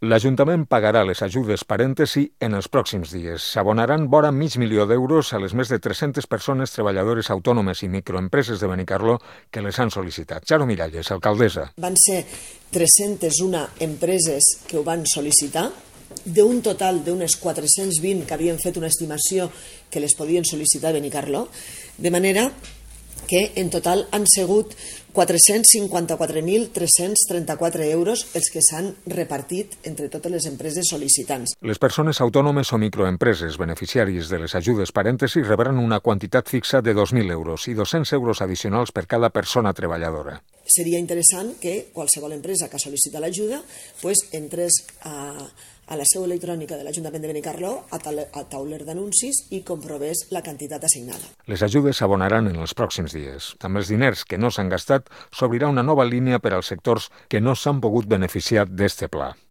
L'Ajuntament pagarà les ajudes parèntesi en els pròxims dies. S'abonaran vora $500.000 a les més de 300 persones treballadores autònomes i microempreses de Benicarló que les han sol·licitat. Charo Miralles, alcaldessa. Van ser 301 empreses que ho van sol·licitar, d'un total d'unes 420 que havien fet una estimació que les podien sol·licitar a Benicarló, de manera que en total han sigut 454.334 euros els que s'han repartit entre totes les empreses sol·licitants. Les persones autònomes o microempreses beneficiàries de les ajudes parèntesi rebran una quantitat fixa de 2.000 euros i 200 euros addicionals per cada persona treballadora. Seria interessant que qualsevol empresa que sol·licita l'ajuda entrés a la seu electrònica de l'Ajuntament de Benicarló, a tauler d'anuncis, i comprovés la quantitat assignada. Les ajudes s'abonaran en els pròxims dies. Amb els diners que no s'han gastat, s'obrirà una nova línia per als sectors que no s'han pogut beneficiar d'este pla.